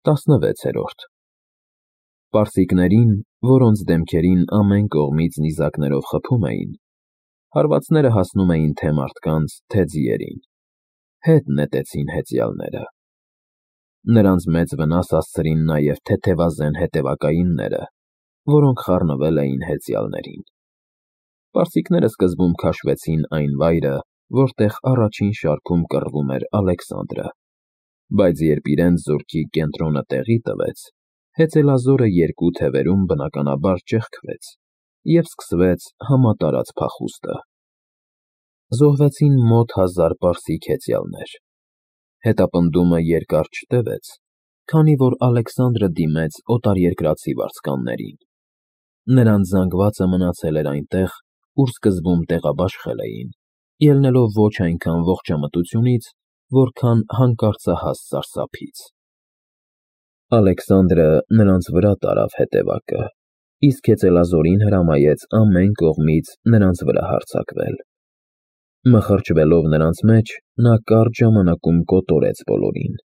16-րդ Պարսիկներին, որոնց դեմքերին ամեն կողմից նիզակներով խփում էին, հարվածները հասնում էին թե մարդկանց, թե ձիերին, հետ նետեցին հեծյալները։ Նրանց մեծ վնաս հասցրին նաև թեթևազեն հետևակայինները, որոնք խառնվել էին հեծյալներին։ Պարսիկները սկզբում քաշվեցին այն վայրը, որտեղ առաջին շարքում կռվում էր Ալեքսանդրը, բայց երբ իրենց զորքի կենտրոնը տեղի տվեց, հեծելազորը երկու թևերում բնականաբար ճեղքվեց և սկսվեց համատարած փախուստը։ Զոհվեցին մոտ 1000 պարսիկ հեծյալներ։ Հետապնդումը երկար չտևեց, քանի որ Ալեքսանդրը դիմեց օտարերկրացի վարձկաններին։ Նրանց զանգվածը մնացել էր այնտեղ, ուր սկզբում տեղաբաշխել էին, ելնելով ոչ այնքան ողջամտությունից, որքան հանկարծահաս սարսափից։ Ալեքսանդրը նրանց վրա տարավ հետևակը, իսկ հեծելազորին հրամայեց ամեն կողմից նրանց վրա հարձակվել։ Մխրճվելով նրանց մեջ, նա կարճ ժամանակում կոտորեց բոլորին։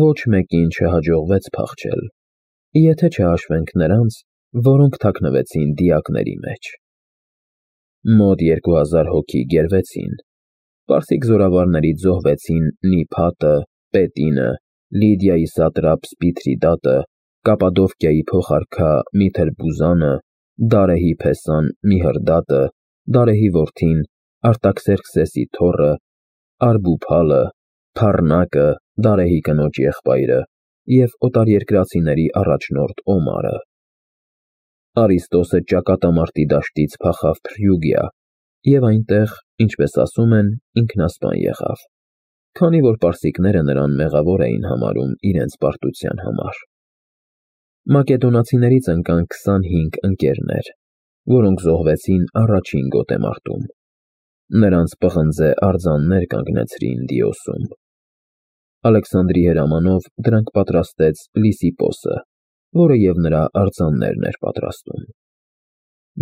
Ոչ մեկին չհաջողվեց փախչել, եթե չհաշվենք նրանց, որոնք թաքնվեցին դիակների մեջ։ Մոտ 2000 հոգի գերվեցին։ Պարսիկ զորավարներից զոհվեցին Նիփատը, Պետինը, Լիդիայի սատրապ Սպիթրիդատը, Կապադովկիայի փոխարքա Միթերբուզանը, Դարեհի փեսան Միհրդատը, Դարեհի որդին Արտաքսերքսեսի թոռը, Արբուփալը, Փառնակը, Դարեհի կնոջ եղբայրը և օտարերկրացիների առաջնորդ Օմարը։ Արիստոսը ճակատամարտի դաշտից փախավ Փրյուգիա և այնտեղ, ինչպես ասում են, ինքնասպան եղավ, քանի որ պարսիկները նրան մեղավոր էին համարում իրենց պարտության համար։ Մակեդոնացիներից ընկան 25 ընկերներ, որոնք զոհվեցին առաջին գոտեմարտում։ Նրանց պղնձե արձաններ կանգնեցրին Դիոսում։ Ալեքսանդրի հրամանով դրանք պատրաստեց Լիսիպոսը, որը և նրա արձաններն էր պատրաստում։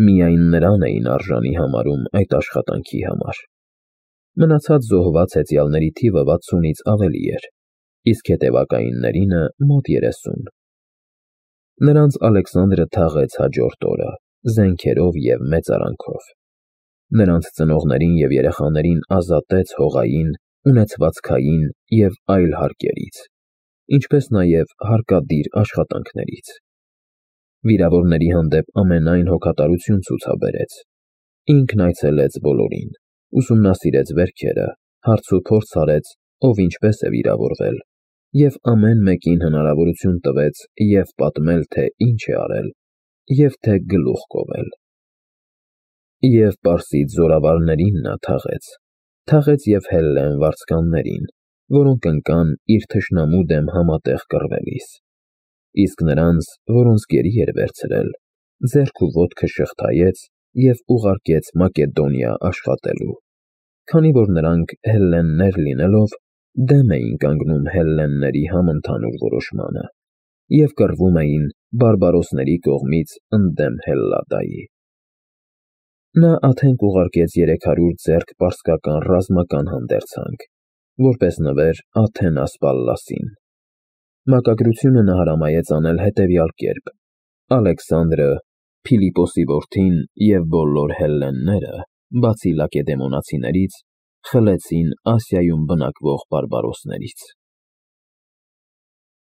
Միայն նրան էին արժանի համարում այդ աշխատանքի համար։ Մնացած զոհված հեծյալների թիվը 60-ից ավելի էր, իսկ հետևակայիններինը մոտ 30։ Նրանց Ալեքսանդրը թաղեց հաջորդ օրը, զենքերով և մեծարանքով։ Նրանց ծնողներին և երեխաներին ազատեց հողային, ունեցվածքային և այլ հարկերից, ինչպես նաև հարկադիր աշխատանքներից։ Վիրավորների հանդեպ ամենայն հոգատարություն ցուցաբերեց։ Ինքն այցելեց բոլորին, ուսումնասիրեց վերքերը, հարցուփորձ արեց, ով ինչպես է վիրավորվել, և ամեն մեկին հնարավորություն տվեց և պատմել, թե ինչ է արել, և թե գլուխ կովել։ Եվ պարսից զորավարներին նա թաղեց և Հելլեն վարձկաններին, որոնք ընկան իր թշնամու դեմ համատեղ կռվելիս, իսկ նրանց, որոնց գերի էր վերցրել, ձեռք ու ոտքը շղթայեց և ուղարկեց Մակեդոնիա աշխատելու, քանի որ նրանք հելլեններ լինելով, դեմ էին կանգնում հելլենների համընդհանուր որոշմանը և կռվում էին բարբարոսների կողմից ընդդեմ Հելլադայի։ Նա Աթենք ուղարկեց 300 ձեռք պարսկական ռազմական հանդերձանք, որպես նվեր Աթենաս Պալլասին։ Մակագրությունը նա հրամայեց անել հետևյալ կերպ. Ալեքսանդրը, Փիլիպոսի որդին և բոլոր հելլենները, բացի լակեդեմոնացիներից, խլեցին Ասիայում բնակվող բարբարոսներից։